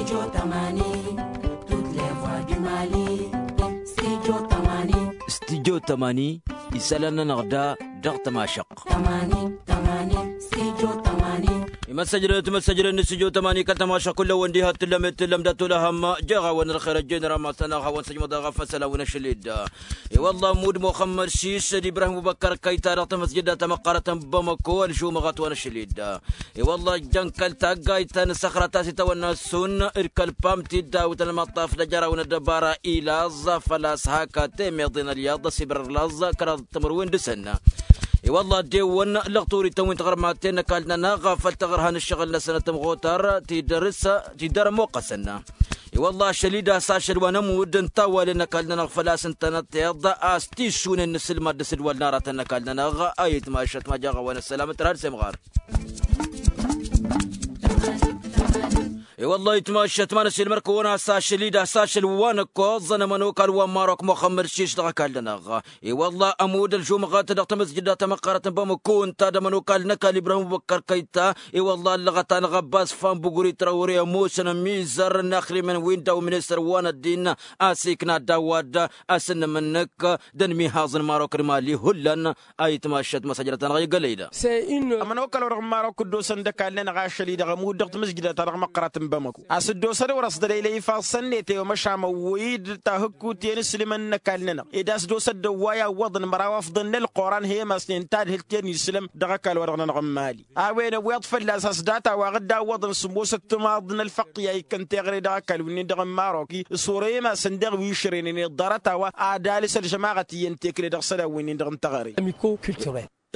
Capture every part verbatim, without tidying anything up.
Studio tămani. Studio tămani. Isălan-nănăɣ da dăɣ-tămašăqq. Imăssăjrăt imăssăjrăt n-studio tămani kăl-tămašăqq kull-awăn diha t-tǝllăm t-tǝllăm dat-olăhăm. Jeɣ-awăn ălxer ăjjeen ramas-tăn a hawăn-săjmăḍ a ɣaf asălan wi n-ašăl-dd. I-wălla ămmud muxămmăd sis d-ibrahim ubăkkăr kăyta dăɣ-tamăsjǝda tamăqqarăt n-bamăko ălžumăɣăt wa n-ašăl-dd. I-wălla ăjjăn kăl-taggayt ta n-săxra ta s-itawănna s-un d-kăl-pam tiddawt n-almăṭṭaf d-ajăraw n-ăddăbara ilaẓ făl-a-s hak a temeḍe n-ălyaḍ ăsibărăr laẓ kăraḍ timǝrwen dăɣ-săn. I-wălla ăddewăn lăɣturităn wi n-tiɣărmaten n-ăkall-nănăɣ făl tăɣrǝha n-ǝššăɣǝl-năsăn tămɣotar tidăr-s tidăr ămoqqăsăn. I-wălla ašăl-i d-a-s ašăl wa n-ămudd n-tawalen n-ăkall-nănăɣ făl-a-s ǝntănăteḍ a-s tisunen n-asǝlmad d-asǝdwal n-aratăn n-ăkall-nănăɣ. A itmašăt ma jaɣ-a-wa n-ăssălam ǝtrad s-emɣar. I-wălla itmašăt ma n-ăsilmăr-kăwăn a-s ašăl-i d-a-s ašăl wa n-ăkkoẓăn ămănokal wa n-marok muxămmăd sis dăɣ-ăkall-nănăɣ. I-wălla ămudd ălžumăɣăt dăɣ-tamăzjǝda tamăqqarăt n-bamăko ǝnta d-ămănokal n-ăkall ibrahim ubăkkăr kăyta. I-wălla ăllăɣăt-anăɣ ăbbas fan buguri trawre ămoosăn ămizăr n-axrimăn wi n-daw ministăr wa n-ăddin a-s ikna daw-ad-dăɣ asǝnnǝmǝnnǝk d-ănmihaẓ n-marok d-mali hullan. A itmašăt măsăjrăt-anăɣ i-gălăy da. Ămănokal-wa-dăɣ n-marok dd-osăn d-ăkall-nănăɣ ašăl-i-dăɣ ămudd dăɣ-tamǝzjǝda-ta-dăɣ măqqărăt n-bamăko a-s dd-osăd wăr-ăṣdălăylăy ifaḍ-săn-net i-wa măšan ăwwăy-dd tahǝkkut i-inǝslǝmăn n-ăkall-nănăɣ ed a-s dd-osăd dd-ăwway awwăḍăn măraw afḍăn n-ălqoran he-imasnen tadhǝlt i-inǝslǝm dăɣ-ăkall-wa-dăɣ-nănăɣ n-mali. A-wen ăwweḍ fălla-s a-s data-wa ɣǝdda awwăḍăn sǝmmosăt timaḍ n-ălfăqq i-a ikkăn teɣăre dăɣ-ăkall-win-dăɣ n-marok s-ore imasăn daɣ wi išrenen i-ḍarăt-a-wa ad-alǝs ălžămaɣăt iyyăn tekle dăɣ-isălan-win-dăɣ n-teɣăre.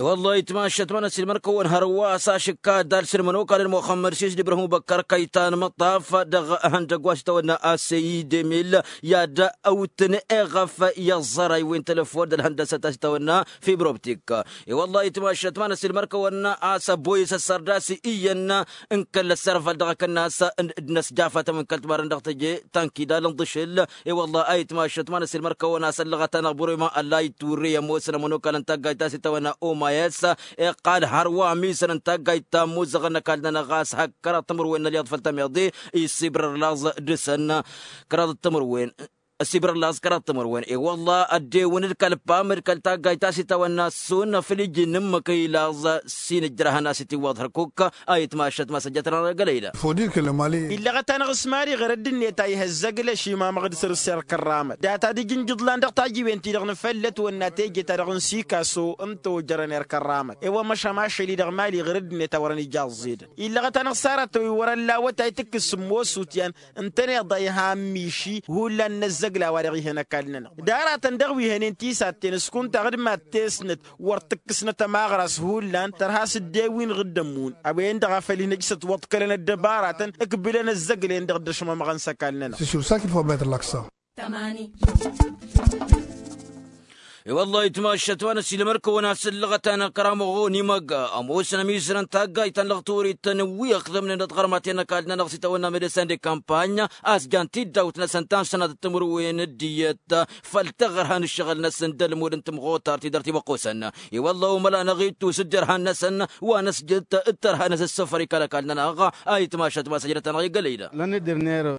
I-wăllah itmašăt ma n-ăsilmăr-kăwăn hărwa a-s ašǝkka ad-alǝs ălmănokal n-muxămmăd sis d-ibrahim ubăkkăr kăytan măṭṭaf dăɣ-ihăndăgg wa s-itawănna aseyidemil i-ad-ăwtǝn eɣăf i-ăẓẓăray wi n-telăfon d-ălhăndăsăt a-s itawănna fibrobtik. I-wăllah itmašăt ma n-ăsilmăr-kăwăn a-s ăboyăs ăssărdas iyyăn n-kăl-ăssărvăl dăɣ-akănnas d-inăsjafătăm n-kăl-timarăn dăɣ-teje tankidal n-ḍǝšǝl. I-wăllah a itmašăt ma n-ăsilmăr-kăwăn a-s ăllăɣăt-anăɣ bărăy ma ălla itwǝrrǝy ămoosăn ămănokal n-taggayt ta s-itawănna omayăs iqqal hărwa ămisăn n-taggayt ta ămuzăɣăn n-ăkall-nănăɣ a-s hak kăraḍ timǝrwen n-ălyaḍ făll-tameḍe isibra ălaẓ dăr-săn kăraḍ timǝrwen. Ăsibra ălaẓ kăraḍ timǝrwen i-wălla ăddewăn d-kăl-pam d-kăl-taggayt ta s-itawănna s-sunnă făll-iji n-ǝmmǝk i-laẓ s-inǝjrăhăn a-s itiwwăḍ hărkuk. A itmašăt ma s-ăjjăt-nănăɣ gălăy da. Illăɣăt-anăɣ s-mali ɣăr ăddinnet a ih' ăzzăgla šimamăɣ d-săr-s erk ărramăt data d-ijǝnjǝḍlan dăɣ-tajiwen-ti-dăɣ n-făllăt wănna teje-ta-dăɣ n-sikaso n-tojărăn erk ărramăt i-wăr măšan ašăl-i dăɣ-mali ɣăr ăddinnet a wărăn ija ăẓẓedăn. Illăɣăt-anăɣ s-aratăn wi wăr-ăllawăt a itǝkkǝs sǝmmos utyan ǝntăneḍ a ihan miši hullan n-ăzzăgla wa dăɣ-ihăn ăkall-nănăɣ d-aratăn dăɣ-wi hănen tisatten s-kunta ɣǝd mad-tesnăt wăr tǝkkǝsnăt ămaɣras hullan tărha s-dd-ewin ɣǝddămmun a-wen-dăɣ a făl-inăjsăt wăḍkălăn ăddăbaratăn ǝkbǝlăn ăzzăglen-dăɣ dd-ăšmămăɣăn s-ăkall-nănăɣ. Tămani. I-wăllah itmašăt wa n-ăsilmăr-kăwăn a-s ǝllăɣăt-anăɣ kăramăɣ onimăgg ămoosăn ămizărăn taggayt ta n-lăɣturit-tăn wi ăxdămnen d-tiɣărmaten n-ăkall-nănăɣ s-itawănna medesen de kampany a-s jan tiddawt-năsăn ta n-sănatăt timǝrwen d-iyyăt făll-taɣărha n-ǝššăɣǝl-năsăn d-ălmud n-tămɣotar ti dăr-timăqqosăn. I-wăllah omăla năɣ-ittus dd-irhan-năsăn wa n-ăsjăt d-tărha-năsăn s-săfăr ikal ăkall-nănăɣ. A itmašăt ma s-ăjrăt-anăɣ i-gălăy da.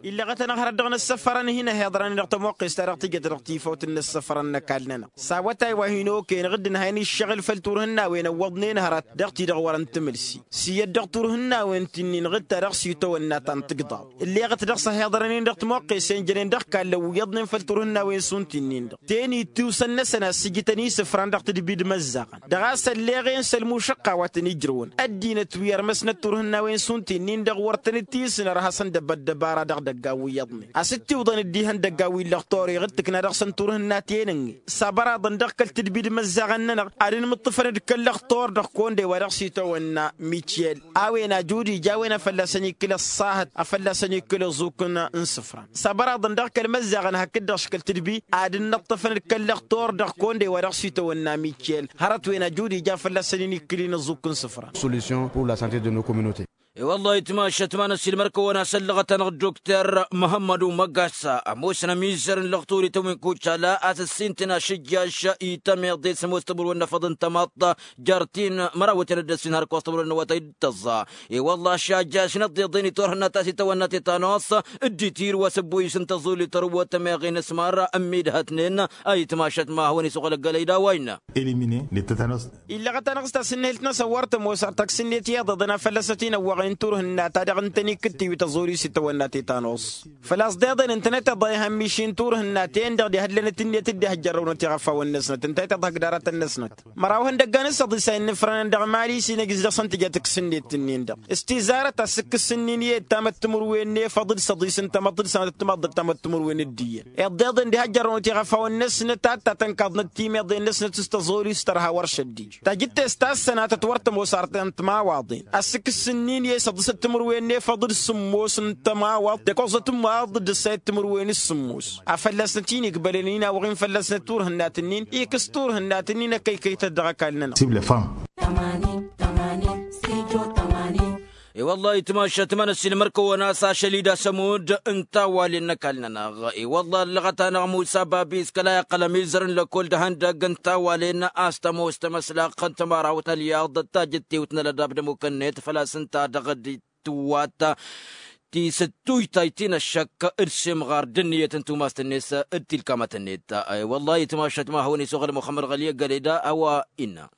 Illăɣăt-anăɣ hărăt dăɣ-năssăfărăn hin-ăhiḍrăn dăɣ-tămoqqest ta dăɣ-tijăt dăɣ-tifawt n-năssăfărăn n-ăkall-nănăɣ s-awătay wa hin-okăyăn ɣǝddǝn a hin-iššăɣǝl făll-turhǝnnawen ăwwăḍnen hărăt dăɣ-ti-dăɣ wărăn tǝmǝlsi s-iyyăt dăɣ-turhǝnnawen ti-nin ɣǝd-ta dăɣ-s itawănna ta n-tǝgḍaḍ. Ǝlleɣăt dăɣ-s ăhiḍrănen dăɣ-timoqqesen jănen dăɣ-kallăn wi iyyăḍnen făll-turhǝnnawen šund ti-nin-dăɣ ten-i tiwsăn-năsăn a ǝssǝjǝtăn isǝfran dăɣ-tadbi d-imăzzaɣăn dăɣ-a-s ălleɣen s-ălmušăqqa wa tăn-ijrǝwăn ăddinăt wi ărmăsnăt turhǝnnawen šund ti-nin-dăɣ wăr tăn-dd-tisnăr ad-hasăn-dăbăt dăbara dăɣ-idăggan wi iyyăḍnen a-s dd-tiwḍăn dd-ihăndăggan wi n-lăɣtoreɣ d-tǝkna dăɣ-săn turhǝnna tenănge s-abăraḍăn dăɣ-kăl-tǝdbi d-imăzzaɣăn-nănăɣ ad-inmǝṭṭǝfăn d-kăl-lăɣtor dăɣ-konde wa dăɣ-s itawănna mikyel a-wen ajud ija a-wen a fălla-săn ikkǝl ăṣṣahăt a fălla-săn ikkǝl ăẓuk n-isǝfran s-abăraḍăn dăɣ-kăl-imăzzaɣăn hakd-dăɣ s-kăl-tǝdbi ad-dd-inǝṭṭǝfăn d-kăl-lăɣtor dăɣ-konde wa dăɣ-s itawănna mikyel hărăt-wen ajud ija a fălla-săn-in ikkǝl-in ăẓuk n-isǝfran. Solution pour la sante de nos communaute. E-wălla-hi ătmašăt ma n-ăssiilmăr-kăwăn a-s ăllăɣăt-anăɣ dokter muhămmădu măgasa ămoosăn ămizăr n-lăɣturităn wi n-kucala a-s ăssintin ašǝjjaš itămeḍe s-ămoos tămurwen n-afăḍ n-tămaḍt. Jer-tin mărawăten d-ăssin hărkos tămurwen n-awătay d-tăẓẓa. E-wălla-hi ašăjjaš n-ăḍḍeḍen itwărhǝnna ta s-itawănna tetănos dd-itir wa s-ăbboyǝs n-tăẓulit ărwăt ămeɣen s-măra ămmidhătnen. A itmašăt ma hawăn-isuɣǝl ăggălăy d-a-wa innă. Elimine d-tetănos. Illăɣăt-anăɣ s-tasǝnnehǝlt-năsăn wăr tămoos ar tăksǝnnet iyyăḍ iḍăn a fălla-s ătinăwwăɣen turhǝnna ta dăɣ-ǝntăn ikkǝttǝy wi tăẓuri s-itawănna tetănos. Făl-a-s deḍen ǝntăneḍ iḍa ihămmiš-in turhǝnna-ten-dăɣ d-ihăllănăt ǝnniyăt dd-ihăjjărrăwnăt iɣăfawăn-năsnăt ǝnta ităḍhăk d-aratăn-năsnăt. Măraw ihăndăggan d-săḍis a innǝfrănăn dăɣ-mali s-inăjjǝs dăɣ-săn tǝjăt ǝksǝnnet-ǝnnin-dăɣ s-tizarăt a s-ǝkkǝs ǝnnin i-dd tamăttimǝrwen n-efăḍ d-săḍis n-tamăḍt d-sănăt d-tamăḍt d-tamăttimǝrwen d-iyyăn. Iḍeḍen d-ihăjjărrăwnăt iɣăfawăn-năsnăt ad-tatănkaḍnăt timeḍen-năsnăt s-tăẓori s-tărha wăr šăddij. Tajǝtte s-tassănatăt wăr tămoos artăn timawaḍen a-s ǝkkǝs ǝnnin i-săḍǝsăt timǝrwen n-efăḍ d-sǝmmos n-tămawaḍt d-ăkoẓăt ǝmmaḍ d-ǝssayăt timǝrwen s-sǝmmos. A fălla-snăt-in ikbălăn inawăɣ-in fălla-snăt turhǝnnat-ǝnnin ikǝs turhǝnnat-ǝnnin ăkkăykăytăt dăɣ-ăkall-nănăɣ. Sibla fam. Tămanin tămanin sijo tămanin. E-wălla-hi tmašăt ma n-ăssiilmăr-kăwăn a-s ašăl-i d-asămud n-tawalen n-ăkall-nănăɣ. E-wălla-hi ăllăɣăt-anăɣ musa babis kăla iqqăl ămizăr n-lăkkol d-ihăndăgg n-tawalen a-s tămoos tamăslăɣt n-tămărawt n-ălyaḍ tajǝttiwt n-ălădab d-ămukănnet făl-a-s ǝnta dăɣ-dd-tǝwwat tisǝttujtayt-in ăššăk d-simɣar d-ǝnniyăt n-tumast-net d-tilkamăt-net. E-wălla-hi tmašăt ma hawăn-isuɣǝl muxămmăd ɣăli ăggălăy da a-wa innă.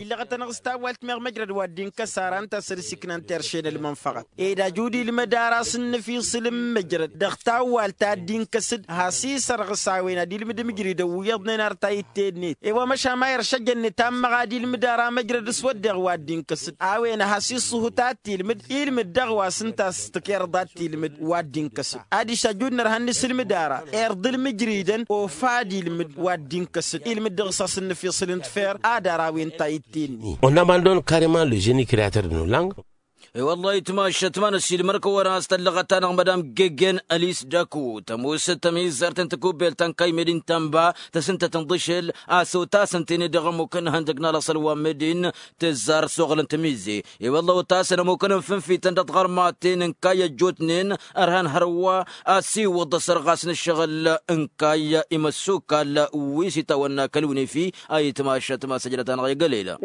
Illăɣăt-anăɣ s-tawalt meɣ măjrăd wa dd-inkăs ara ǝnta a săr-s iknan terše n-ălmănfăɣăt ed ajud ilmǝd ara s-ǝnnǝfisǝl n-măjrăd dăɣ-tawalt ta dd-inkăs-dd has-isărɣǝs a-wen ad-ilmǝd imǝjridăn wi iyyăḍnen ar ta itte-net. E-wa măšan ma iršăjăn nǝtammăɣ ad-ilmǝd ara măjrăd s-wădden wa dd-inkăs-dd a-wen has-iṣṣuhǝt ad-t-ilmǝd ilmǝd dăɣ-wa s-ǝnta a-s tǝkerḍa ad-t-ilmǝd wa dd-inkăs-dd. Adiš ajud n-ărha n-isǝlmǝd ara irḍǝl imǝjridăn ofa ad-ilmǝd wa dd-inkăs-dd ilmǝd dăɣ-s a-s ǝnnǝfisǝl n-tfer ad-ara a-wen ta itte-net. On abandonne carrement le jeune creator de nos langues. E-wălla-hi tmašăt ma n-ăssiilmăr-kăwăn a-s tăllăɣăt-anăɣ madam gegen ălis dăku tămoosăt tămizărt n-tikubbelt ta n-kaymed-in tănba tăsǝntăt n-iḍǝšel a-s otasăn-ten-dd dăɣ-ămmuk n-ihăndăg n-alăṣăl wa n-medin. Tǝzzar s-oɣăl n-tamize. E-wălla-hi otasăn ămmuk n-infǝnfităn dăɣ-tiɣărmaten n-kayy ăjjootnen ărhan hărwa a-s iwǝḍ asărɣas n-ǝššăɣǝl n-kayy imăssukal wi s-itawănna kăl-unefi. A itmašăt ma s-ăjrăt-anăɣ i-gălăyla.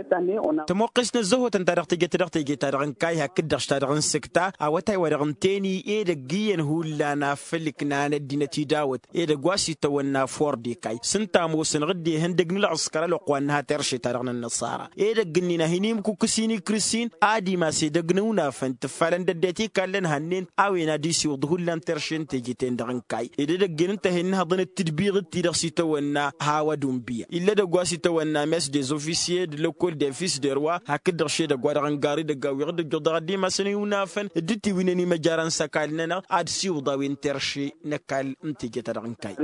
Tămoqqes n-ăzzăhotăn ta dăɣ-teje-ta dăɣ-teje-ta-dăɣ n-kayy hakd-dăɣ s-ta-dăɣ n-sǝkta awătay-wa-dăɣ ǝnta-en i-edăgg iyyăn hullan afăl ǝknanăt dinăt-i dawăt edăgg wa s-itawănna ford ikay s-ǝnta ămoosăn ɣǝdde ihăndăg n-ǝlɣǝskăr ălwăqq wa n-nǝha terše-ta-dăɣ n-ănnăṣara. Edăgg-ǝnnin a hin-imkukǝs-in ikrǝs-in ad-imas edăgg n-iwǝnafăn tǝffalăn d-ăddinăt ikallăn hannen a-wen ad-isiwǝḍ hullan terše n-teje-ten-dăɣ n-kayy ed edăgg-en ǝnta a hin-nǝhăḍăn d-tǝdbiɣǝt-ti-dăɣ s-itawănna hawa d-unbiya. Ill'-edăgg wa s-itawănna mes des officiers d-lăkkol d-efis d-erwa hakd-dăɣ šedăgg wa dăɣ-n gar edăgg a-wi ɣǝd-ǝjjuḍ dăɣ-ăddimasăn iwǝnafăn dd-tiwǝynen imăjara n-isăkal-nănăɣ ad-siwǝḍ a-wen terše n-ăkall n-teje-ta-dăɣ n-kayy.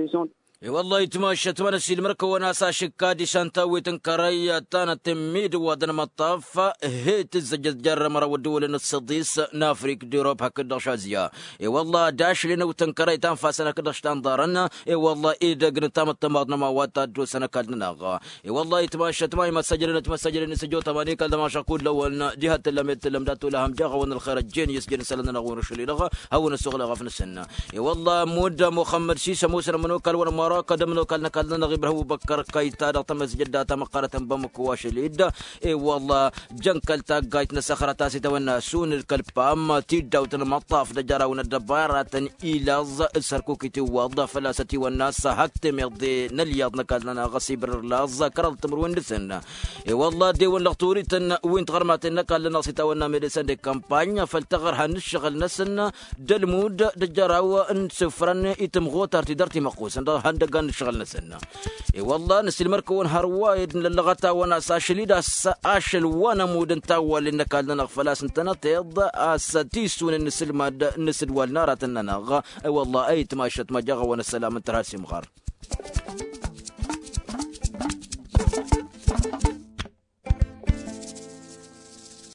E-wăllah itmašăt ma n-ăssiilmăr-kăwăn a-s ašǝkka ad-išan tawwet n-kărăy ta n-atǝmmid wa d-ănmăṭṭaf. He-tǝzzăjăt jer-măraw ăddăwălăn d-săḍis n-afrik d-irop hakd-dăɣ šazya. E-wăllah d-ašli n-awǝtăn kărăy ta n-fasăn hakd-dăɣ š-ta n-ḍarăn. E-wăllah edăgg n-tamăṭṭămaḍ n-ămawa ta dd-osăn ăkall-nănăɣ. E-wăllah itmašăt ma imăssăjrăn itmăssăjrăn isǝjot ămani kăl-dămašăɣ kull-ăwăn diha t-tǝllăm i-t-tǝllăm dat-olăhăm jaɣ-awăn ălxer ăjjeen i-s jăn isălan-nănăɣ-wen ašăl-i-dăɣ. Hawăn-ăssoɣlăɣ ăfnǝsăn. E-wăllah mudd muxămmăd sisa musăn ămănokal wăr-mărăk d-ămănokal n-ăkall-nănăɣ ibrahim ubăkkăr kăyta dăɣ-tamăzjăd data măqqărătăn bamăko ašăl-i-dd. E-wăllah jăn kăl-taggajt n-asăxra ta s-itawănna asunǝl kăl-pam tiddawt n-imăṭṭaf d-ajăraw n-ăddăbaratăn. Ilaẓ s-hărkuk itiwwăḍ făl-a-s ătiwănna s-hak temeḍe n-ălyaḍ n-ăkall-nănăɣ ăsibrǝr laẓ kăraḍ timǝrwen dăɣ-săn. E-wăllah dd-ewăn lăɣturităn wi n-tiɣărmaten n-ăkall-nănăɣ s-itawănna medesăn de kampany făll-taɣărha n-ǝššăɣǝl-năsăn d-ălmud d-ajăraw n-isǝfrăn i-tǝmɣutar ti dăr-timăqqusăn dăɣ-ihăndăggan n-ǝššăɣǝl-năsăn. E-wăllah năsilmăr-kăwăn hărwa ed nǝllăɣăt-awăn a-s ašăl-i d-a-s ašăl wa n-ămudd n-tawwalen n-ăkall-nănăɣ făl-a-s ǝntănăteḍ a-s tisunen n-asǝlmad n-asǝdwal n-aratăn-nănăɣ. E-wăllah a itmašăt ma jaɣ-awăn ăssălam n-tărha d-simɣar.